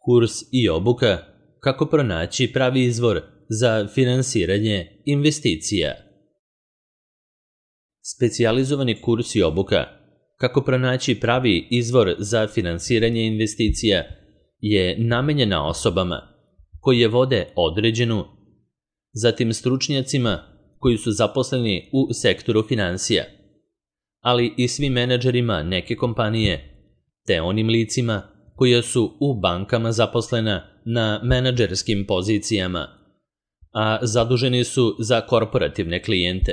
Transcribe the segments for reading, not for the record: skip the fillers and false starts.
Kurs i obuka kako pronaći pravi izvor za finansiranje investicija. Specijalizovani kurs i obuka kako pronaći pravi izvor za finansiranje investicija je namenjena osobama koje vode određenu, zatim stručnjacima koji su zaposleni u sektoru finansija, ali i svim menadžerima neke kompanije, te onim licima koja su u bankama zaposlena na menadžerskim pozicijama, a zaduženi su za korporativne klijente.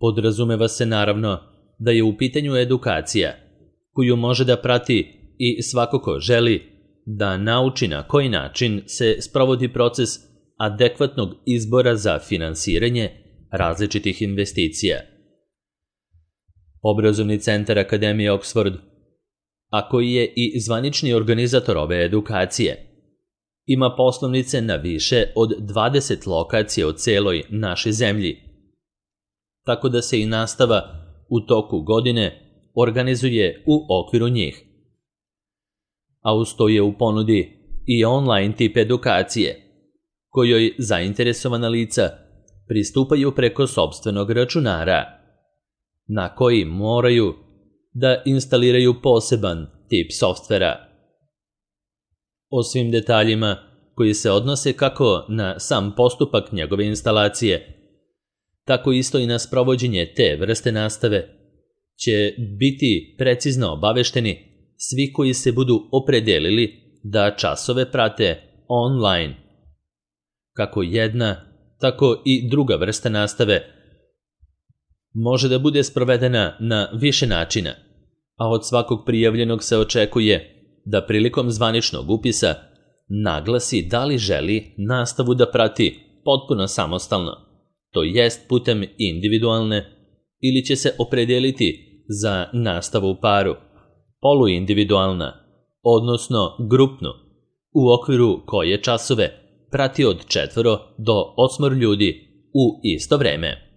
Podrazumeva se naravno da je u pitanju edukacija koju može da prati i svako ko želi da nauči na koji način se sprovodi proces adekvatnog izbora za finansiranje različitih investicija. Obrazovni centar Akademije Oxford, a koji je i zvanični organizator ove edukacije, ima poslovnice na više od 20 lokacija u celoj našoj zemlji, tako da se i nastava u toku godine organizuje u okviru njih. A uz to je u ponudi i online tip edukacije, kojoj zainteresovana lica pristupaju preko sopstvenog računara, na koji moraju da instaliraju poseban tip softvera. O svim detaljima koji se odnose kako na sam postupak njegove instalacije, tako isto i na sprovođenje te vrste nastave, će biti precizno obavešteni svi koji se budu opredelili da časove prate online. Kako jedna, tako i druga vrsta nastave može da bude sprovedena na više načina, a od svakog prijavljenog se očekuje da prilikom zvaničnog upisa naglasi da li želi nastavu da prati potpuno samostalno, to jest putem individualne, ili će se opredeliti za nastavu u paru, poluindividualna, odnosno grupnu, u okviru koje časove prati od 4 do 8 ljudi u isto vreme.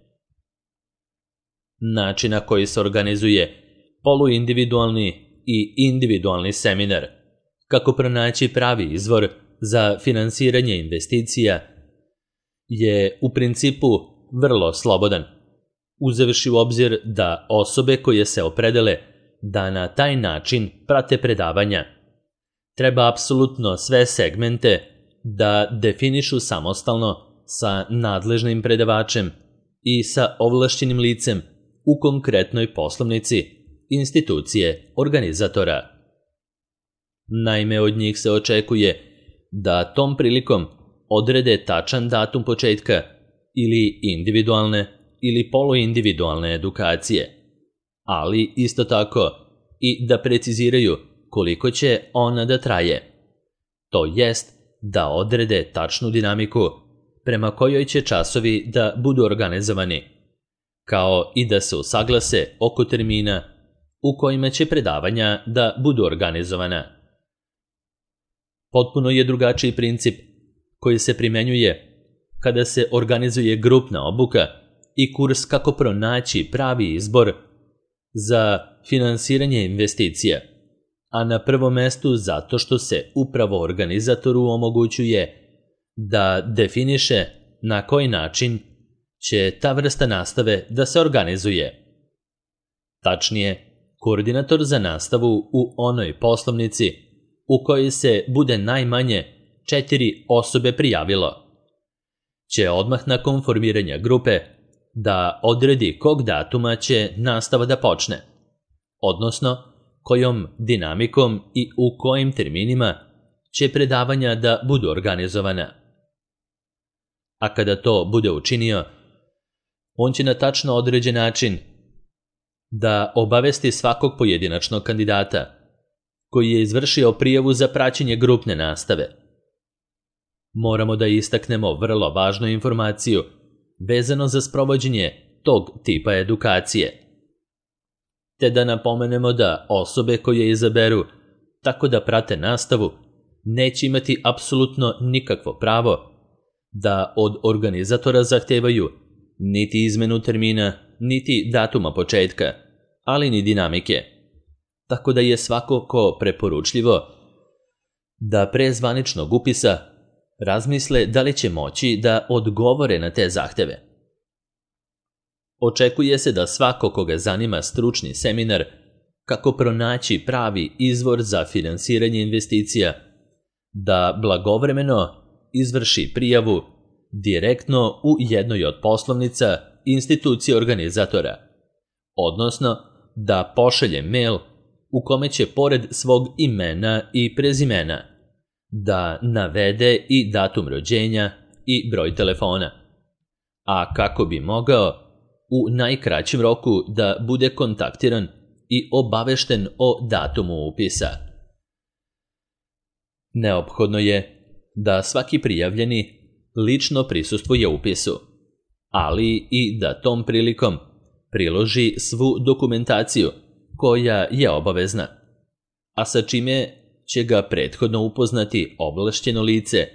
Način na koji se organizuje poluindividualni i individualni seminar, kako pronaći pravi izvor za finansiranje investicija, je u principu vrlo slobodan, uzevši u obzir da osobe koje se opredele da na taj način prate predavanja treba apsolutno sve segmente da definišu samostalno sa nadležnim predavačem i sa ovlašćenim licem u konkretnoj poslovnici institucije organizatora. Naime, od njih se očekuje da tom prilikom odrede tačan datum početka ili individualne ili poluindividualne edukacije, ali isto tako i da preciziraju koliko će ona da traje. To jest da odrede tačnu dinamiku prema kojoj će časovi da budu organizovani, kao i da se usaglase oko termina u kojima će predavanja da budu organizovana. Potpuno je drugačiji princip koji se primenjuje kada se organizuje grupna obuka i kurs kako pronaći pravi izbor za finansiranje investicija, a na prvom mestu zato što se upravo organizatoru omogućuje da definiše na koji način će ta vrsta nastave da se organizuje. Tačnije, koordinator za nastavu u onoj poslovnici u kojoj se bude najmanje 4 osobe prijavilo, će odmah nakon formiranja grupe da odredi kog datuma će nastava da počne, odnosno kojom dinamikom i u kojim terminima će predavanja da budu organizovana. A kada to bude učinio, on će na tačno određen način da obavesti svakog pojedinačnog kandidata koji je izvršio prijavu za praćenje grupne nastave. Moramo da istaknemo vrlo važnu informaciju vezano za sprovođenje tog tipa edukacije, te da napomenemo da osobe koje izaberu tako da prate nastavu neće imati apsolutno nikakvo pravo da od organizatora zahtevaju niti izmenu termina, niti datuma početka, ali ni dinamike. Tako da je svakako preporučljivo da pre zvaničnog upisa razmisle da li će moći da odgovore na te zahteve. Očekuje se da svako koga zanima stručni seminar kako pronaći pravi izvor za finansiranje investicija, da blagovremeno izvrši prijavu direktno u jednoj od poslovnica institucije organizatora, odnosno da pošalje mail u kome će pored svog imena i prezimena da navede i datum rođenja i broj telefona, a kako bi mogao u najkraćem roku da bude kontaktiran i obavešten o datumu upisa. Neophodno je da svaki prijavljeni lično prisustvuje upisu, ali i da tom prilikom priloži svu dokumentaciju koja je obavezna, a sa čime će ga prethodno upoznati ovlašćeno lice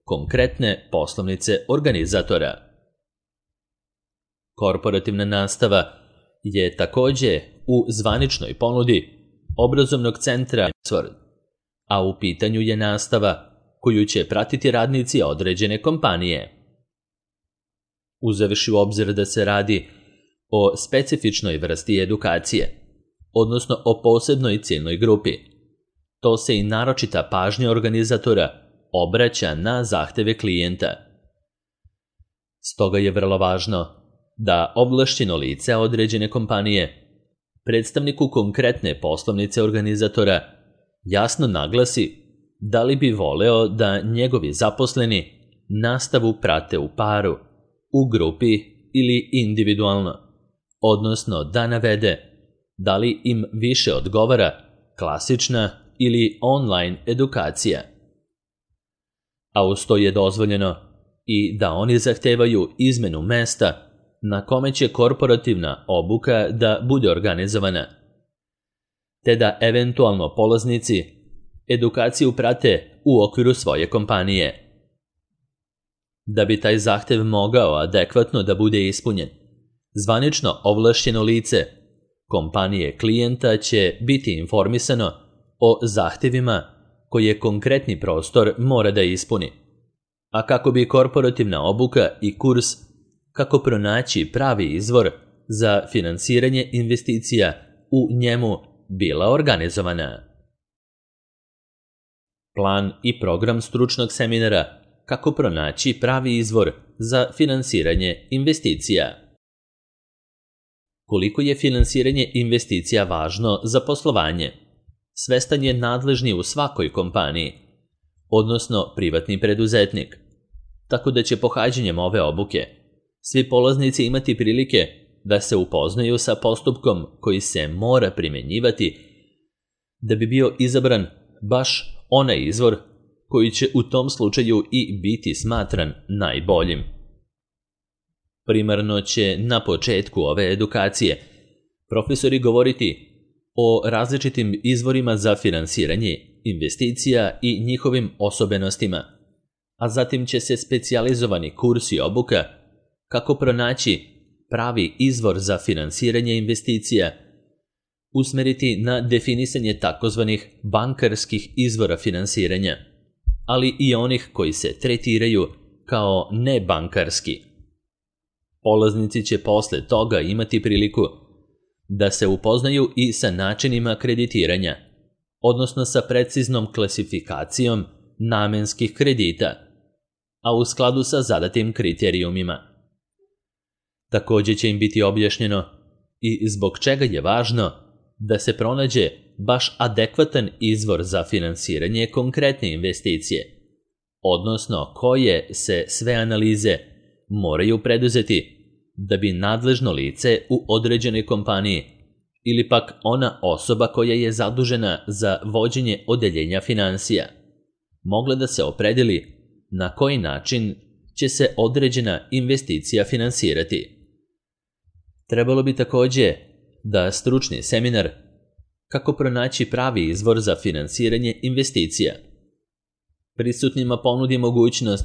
konkretne poslovnice organizatora. Korporativna nastava je takođe u zvaničnoj ponudi obrazovnog centra Oxford, a u pitanju je nastava koju će pratiti radnici određene kompanije. Uzevši u obzir da se radi o specifičnoj vrsti edukacije, odnosno o posebnoj ciljnoj grupi, to se i naročita pažnja organizatora obraća na zahteve klijenta. Stoga je vrlo važno da ovlašćeno lice određene kompanije predstavniku konkretne poslovnice organizatora jasno naglasi da li bi voleo da njegovi zaposleni nastavu prate u paru, u grupi ili individualno, odnosno da navede da li im više odgovara klasična ili online edukacija. A uz to je dozvoljeno i da oni zahtevaju izmenu mesta na kome će korporativna obuka da bude organizovana, te da eventualno polaznici edukaciju prate u okviru svoje kompanije. Da bi taj zahtev mogao adekvatno da bude ispunjen, zvanično ovlašćeno lice kompanije klijenta će biti informisano o zahtevima koje konkretni prostor mora da ispuni, a kako bi korporativna obuka i kurs kako pronaći pravi izvor za finansiranje investicija u njemu bila organizovana. Plan i program stručnog seminara kako pronaći pravi izvor za finansiranje investicija. Koliko je finansiranje investicija važno za poslovanje, svestan je nadležni u svakoj kompaniji, odnosno privatni preduzetnik, tako da će pohađanjem ove obuke svi polaznici imati prilike da se upoznaju sa postupkom koji se mora primenjivati da bi bio izabran baš onaj izvor koji će u tom slučaju i biti smatran najboljim. Primarno će na početku ove edukacije profesori govoriti o različitim izvorima za finansiranje investicija i njihovim osobenostima, a zatim će se specijalizovani kurs i obuka kako pronaći pravi izvor za finansiranje investicija usmeriti na definisanje takozvanih bankarskih izvora finansiranja, ali i onih koji se tretiraju kao nebankarski. Polaznici će posle toga imati priliku da se upoznaju i sa načinima kreditiranja, odnosno sa preciznom klasifikacijom namenskih kredita, a u skladu sa zadatim kriterijumima. Takođe će im biti objašnjeno i zbog čega je važno da se pronađe baš adekvatan izvor za finansiranje konkretne investicije, odnosno koje se sve analize moraju preduzeti da bi nadležno lice u određenoj kompaniji ili pak ona osoba koja je zadužena za vođenje odeljenja finansija mogla da se opredeli na koji način će se određena investicija finansirati. Trebalo bi takođe da stručni seminar kako pronaći pravi izvor za finansiranje investicija prisutnima ponudi mogućnost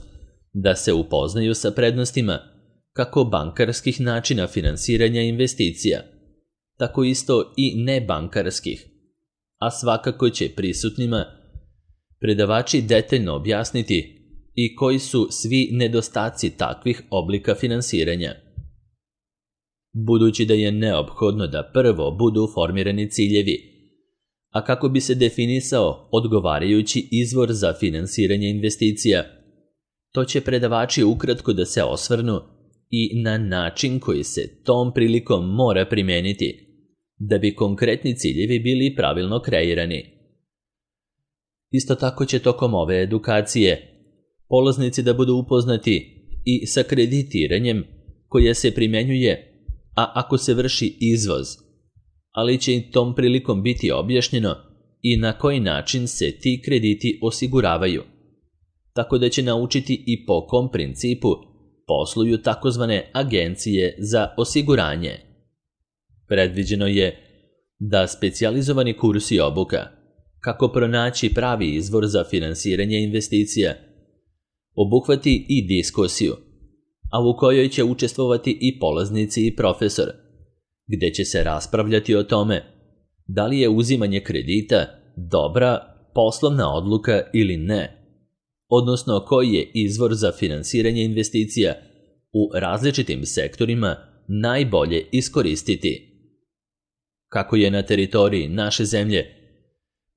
da se upoznaju sa prednostima kako bankarskih načina finansiranja investicija, tako isto i nebankarskih, a svakako će prisutnima predavači detaljno objasniti i koji su svi nedostaci takvih oblika finansiranja. Budući da je neophodno da prvo budu formirani ciljevi, a kako bi se definisao odgovarajući izvor za finansiranje investicija, to će predavači ukratko da se osvrnu i na način koji se tom prilikom mora primeniti, da bi konkretni ciljevi bili pravilno kreirani. Isto tako će tokom ove edukacije polaznici da budu upoznati i sa kreditiranjem koje se primenjuje, a ako se vrši izvoz, ali će i tom prilikom biti objašnjeno i na koji način se ti krediti osiguravaju, tako da će naučiti i po kom principu posluju takozvane agencije za osiguranje. Predviđeno je da specijalizovani kurs i obuka kako pronaći pravi izvor za finansiranje investicija obuhvati i diskusiju, a u kojoj će učestvovati i polaznici i profesor, gde će se raspravljati o tome da li je uzimanje kredita dobra poslovna odluka ili ne, odnosno koji je izvor za finansiranje investicija u različitim sektorima najbolje iskoristiti. Kako je na teritoriji naše zemlje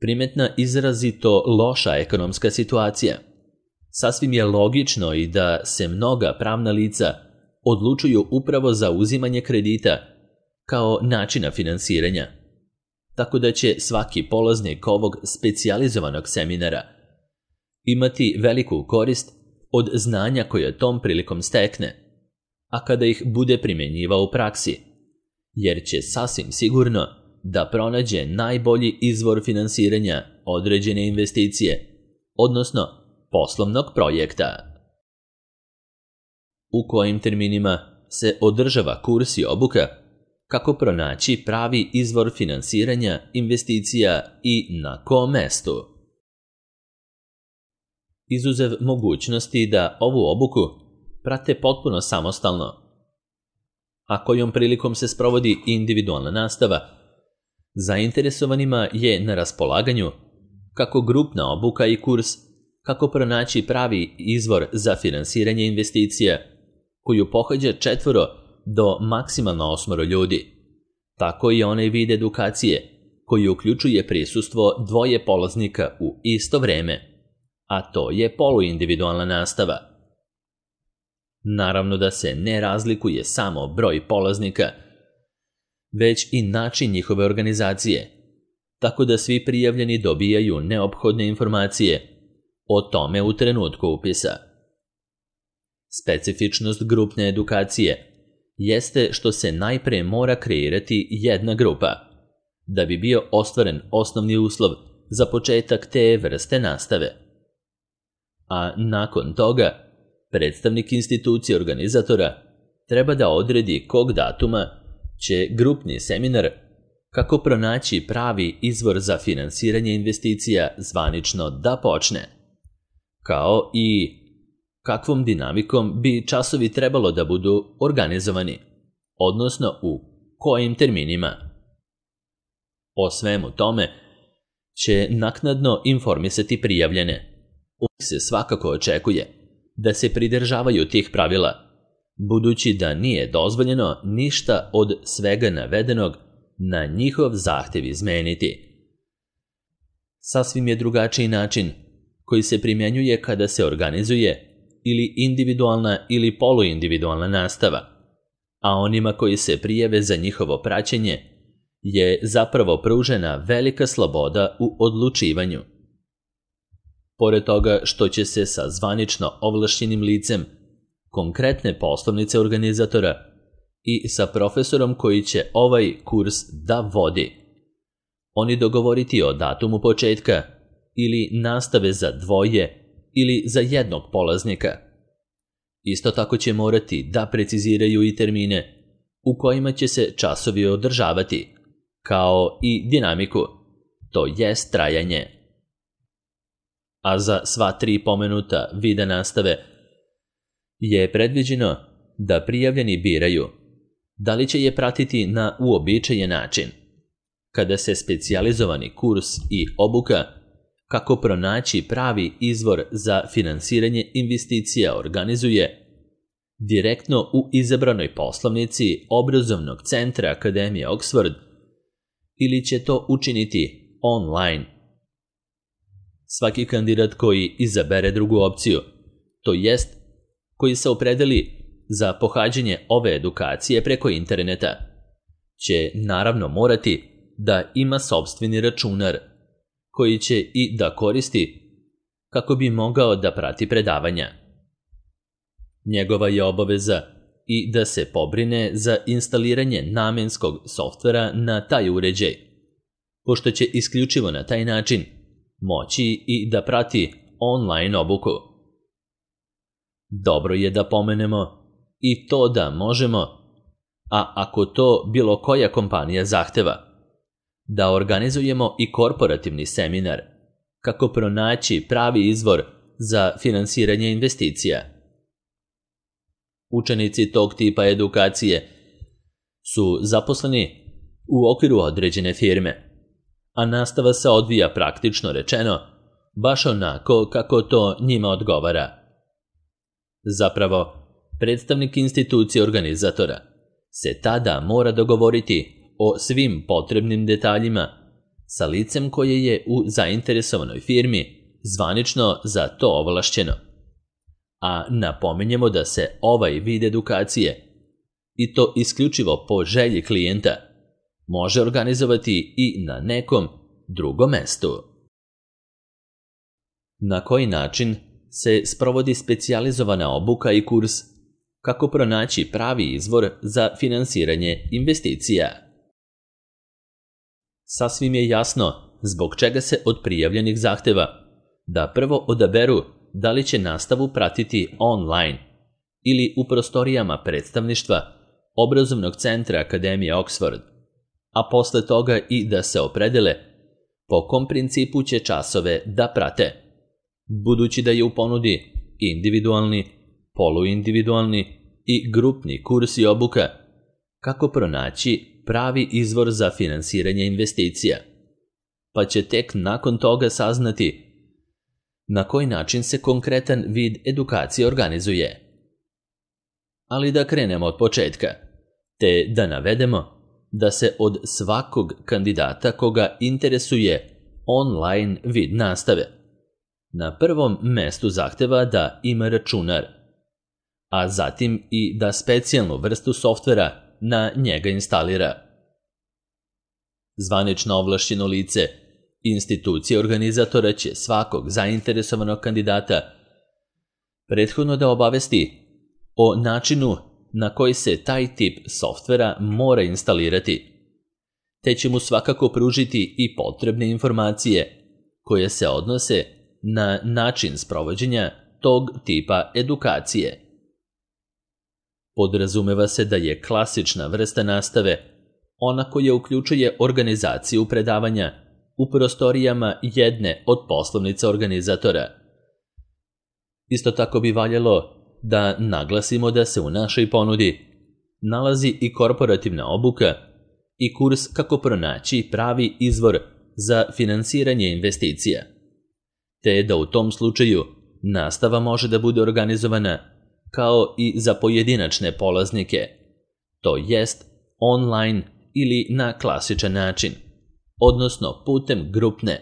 primetna izrazito loša ekonomska situacija, sasvim je logično i da se mnoga pravna lica odlučuju upravo za uzimanje kredita kao načina finansiranja, tako da će svaki polaznik ovog specijalizovanog seminara imati veliku korist od znanja koje tom prilikom stekne, a kada ih bude primenjivao u praksi, jer će sasvim sigurno da pronađe najbolji izvor finansiranja određene investicije, odnosno poslovnog projekta. U kojim terminima se održava kurs i obuka, kako pronaći pravi izvor finansiranja investicija i na kom mestu. Izuzev mogućnosti da ovu obuku prate potpuno samostalno, a kojom prilikom se sprovodi individualna nastava, zainteresovanima je na raspolaganju kako grupna obuka i kurs kako pronaći pravi izvor za finansiranje investicija, koju pohađa 4 do maksimalno 8 ljudi, tako i onaj vid edukacije koji uključuje prisustvo 2 polaznika u isto vreme, a to je poluindividualna nastava. Naravno da se ne razlikuje samo broj polaznika, već i način njihove organizacije, tako da svi prijavljeni dobijaju neophodne informacije o tome u trenutku upisa. Specifičnost grupne edukacije jeste što se najpre mora kreirati jedna grupa, da bi bio ostvaren osnovni uslov za početak te vrste nastave. A nakon toga, predstavnik institucije organizatora treba da odredi kog datuma će grupni seminar kako pronaći pravi izvor za finansiranje investicija zvanično da počne, kao i kakvom dinamikom bi časovi trebalo da budu organizovani, odnosno u kojim terminima. O svemu tome će naknadno informisati prijavljene. Se svakako očekuje da se pridržavaju tih pravila, budući da nije dozvoljeno ništa od svega navedenog na njihov zahtev izmeniti. Sasvim je drugačiji način koji se primjenjuje kada se organizuje ili individualna ili poluindividualna nastava, a onima koji se prijave za njihovo praćenje je zapravo pružena velika sloboda u odlučivanju. Pored toga što će se sa zvanično ovlašćenim licem konkretne poslovnice organizatora i sa profesorom koji će ovaj kurs da vodi, oni dogovoriti o datumu početka ili nastave za 2 ili za 1 polaznika. Isto tako će morati da preciziraju i termine u kojima će se časovi održavati, kao i dinamiku, to jest trajanje. A za sva 3 pomenuta vida nastave je predviđeno da prijavljeni biraju da li će je pratiti na uobičajen način, kada se specijalizovani kurs i obuka kako pronaći pravi izvor za finansiranje investicija organizuje direktno u izabranoj poslovnici obrazovnog centra Akademije Oxford ili će to učiniti online. Svaki kandidat koji izabere drugu opciju, to jest koji se opredeli za pohađanje ove edukacije preko interneta, će naravno morati da ima sopstveni računar koji će i da koristi kako bi mogao da prati predavanja. Njegova je obaveza i da se pobrine za instaliranje namenskog softvera na taj uređaj, pošto će isključivo na taj način moći i da prati online obuku. Dobro je da pomenemo i to da možemo, a ako to bilo koja kompanija zahteva, da organizujemo i korporativni seminar kako pronaći pravi izvor za finansiranje investicija. Učenici tog tipa edukacije su zaposleni u okviru određene firme, a nastava se odvija praktično rečeno baš onako kako to njima odgovara. Zapravo, predstavnik institucije organizatora se tada mora dogovoriti o svim potrebnim detaljima sa licem koje je u zainteresovanoj firmi zvanično za to ovlašćeno. A napominjemo da se ovaj vid edukacije, i to isključivo po želji klijenta, može organizovati i na nekom drugom mestu. Na koji način se sprovodi specijalizovana obuka i kurs kako pronaći pravi izvor za finansiranje investicija? Sasvim je jasno zbog čega se od prijavljenih zahteva da prvo odaberu da li će nastavu pratiti online ili u prostorijama predstavništva obrazovnog centra Akademije Oxford, a posle toga i da se opredele po kom principu će časove da prate, budući da je u ponudi individualni, poluindividualni i grupni kurs i obuka kako pronaći pravi izvor za finansiranje investicija, pa će tek nakon toga saznati na koji način se konkretan vid edukacije organizuje. Ali da krenemo od početka, te da navedemo da se od svakog kandidata koga interesuje online vid nastave na prvom mestu zahteva da ima računar, a zatim i da specijalnu vrstu softvera na njega instalira. Zvanično ovlašćeno lice institucije organizatora će svakog zainteresovanog kandidata prethodno da obavesti o načinu na koji se taj tip softvera mora instalirati, te će mu svakako pružiti i potrebne informacije koje se odnose na način sprovođenja tog tipa edukacije. Podrazumeva se da je klasična vrsta nastave ona koja uključuje organizaciju predavanja u prostorijama jedne od poslovnica organizatora. Isto tako bi valjalo da naglasimo da se u našoj ponudi nalazi i korporativna obuka i kurs kako pronaći pravi izvor za finansiranje investicija, te da u tom slučaju nastava može da bude organizovana kao i za pojedinačne polaznike, to jest online ili na klasičan način, odnosno putem grupne,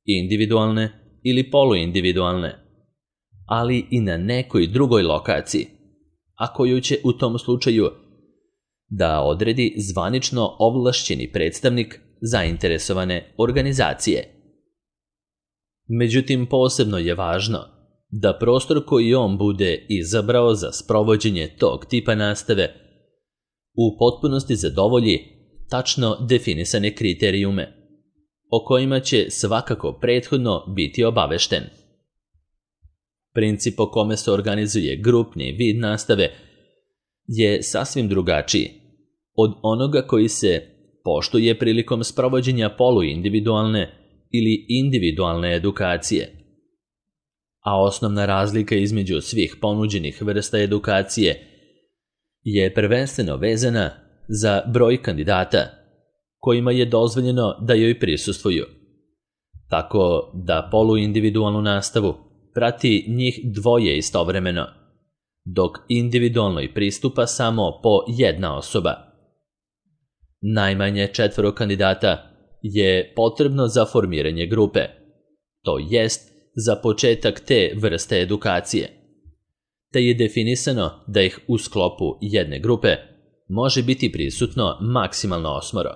individualne ili poluindividualne, ali i na nekoj drugoj lokaciji, a koju će u tom slučaju da odredi zvanično ovlašćeni predstavnik zainteresovane organizacije. Međutim, posebno je važno da prostor koji on bude izabrao za sprovođenje tog tipa nastave u potpunosti zadovolji tačno definisane kriterijume, o kojima će svakako prethodno biti obavešten. Princip po kome se organizuje grupni vid nastave je sasvim drugačiji od onoga koji se poštuje prilikom sprovođenja poluindividualne ili individualne edukacije. A osnovna razlika između svih ponuđenih vrsta edukacije je prvenstveno vezana za broj kandidata kojima je dozvoljeno da joj prisustvuju, tako da poluindividualnu nastavu prati njih dvoje istovremeno, dok individualnoj pristupa samo po jedna osoba. Najmanje 4 kandidata je potrebno za formiranje grupe, to jest za početak te vrste edukacije, te je definisano da ih u sklopu jedne grupe može biti prisutno maksimalno 8.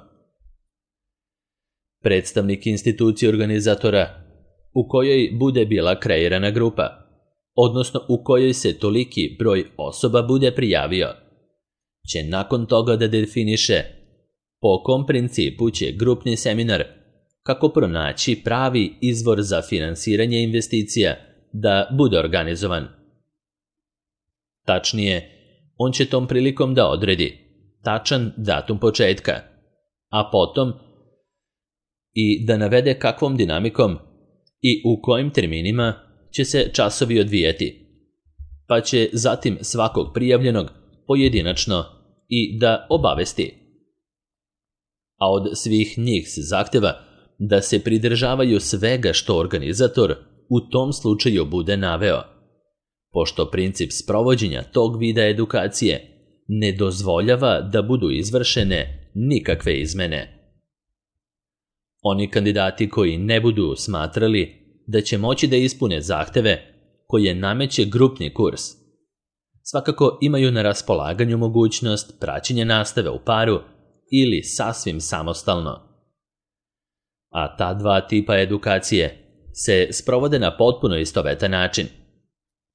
Predstavnik institucije organizatora u kojoj bude bila kreirana grupa, odnosno u kojoj se toliki broj osoba bude prijavio, će nakon toga da definiše po kom principu će grupni seminar, kako pronaći pravi izvor za finansiranje investicija, da bude organizovan. Tačnije, on će tom prilikom da odredi tačan datum početka, a potom i da navede kakvom dinamikom i u kojim terminima će se časovi odvijati, pa će zatim svakog prijavljenog pojedinačno i da obavesti. A od svih njih se zahteva da se pridržavaju svega što organizator u tom slučaju bude naveo, pošto princip sprovođenja tog vida edukacije ne dozvoljava da budu izvršene nikakve izmene. Oni kandidati koji ne budu smatrali da će moći da ispune zahteve koje nameće grupni kurs, svakako imaju na raspolaganju mogućnost praćenja nastave u paru ili sasvim samostalno. A ta dva tipa edukacije se sprovode na potpuno istovetan način,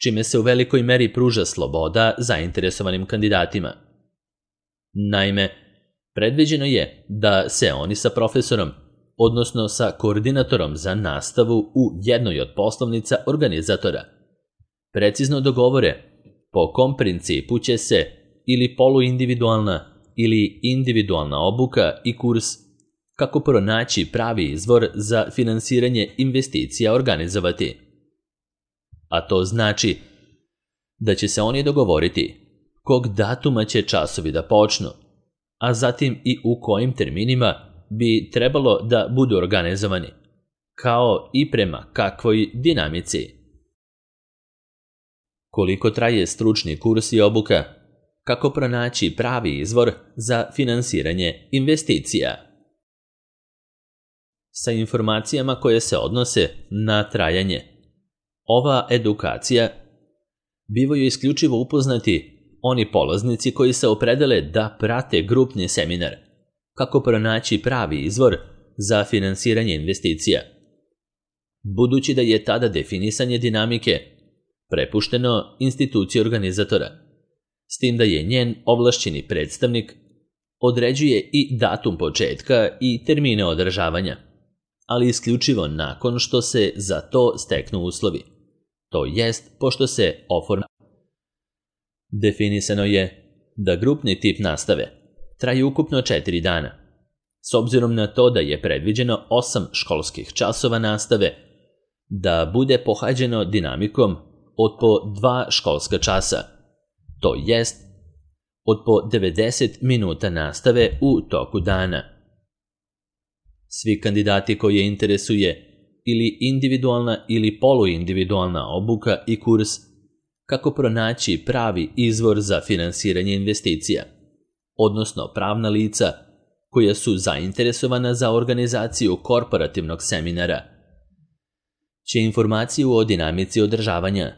čime se u velikoj meri pruža sloboda zainteresovanim kandidatima. Naime, predviđeno je da se oni sa profesorom, odnosno sa koordinatorom za nastavu u jednoj od poslovnica organizatora, precizno dogovore po kom principu će se ili poluindividualna ili individualna obuka i kurs, kako pronaći pravi izvor za finansiranje investicija organizovati. A to znači da će se oni dogovoriti kog datuma će časovi da počnu, a zatim i u kojim terminima bi trebalo da budu organizovani, kao i prema kakvoj dinamici. Koliko traje stručni kurs i obuka, kako pronaći pravi izvor za finansiranje investicija. Sa informacijama koje se odnose na trajanje, ova edukacija bivaju isključivo upoznati oni polaznici koji se opredele da prate grupni seminar, kako pronaći pravi izvor za finansiranje investicija. Budući da je tada definisanje dinamike prepušteno instituciji organizatora, s tim da je njen ovlašćeni predstavnik određuje i datum početka i termine održavanja, ali isključivo nakon što se za to steknu uslovi, to jest pošto se oformi. Definisano je da grupni tip nastave traje ukupno 4 dana, s obzirom na to da je predviđeno 8 školskih časova nastave da bude pohađeno dinamikom od po 2 školska časa, to jest od po 90 minuta nastave u toku dana. Svi kandidati koje interesuje ili individualna ili poluindividualna obuka i kurs, kako pronaći pravi izvor za finansiranje investicija, odnosno pravna lica koja su zainteresovana za organizaciju korporativnog seminara, će informaciju o dinamici održavanja,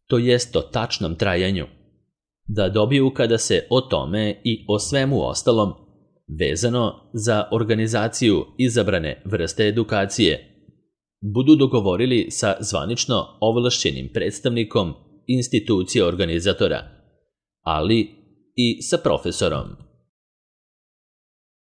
to jest o tačnom trajanju, da dobiju kada se o tome i o svemu ostalom vezano za organizaciju izabrane vrste edukacije budu dogovorili sa zvanično ovlašćenim predstavnikom institucije organizatora, ali i sa profesorom.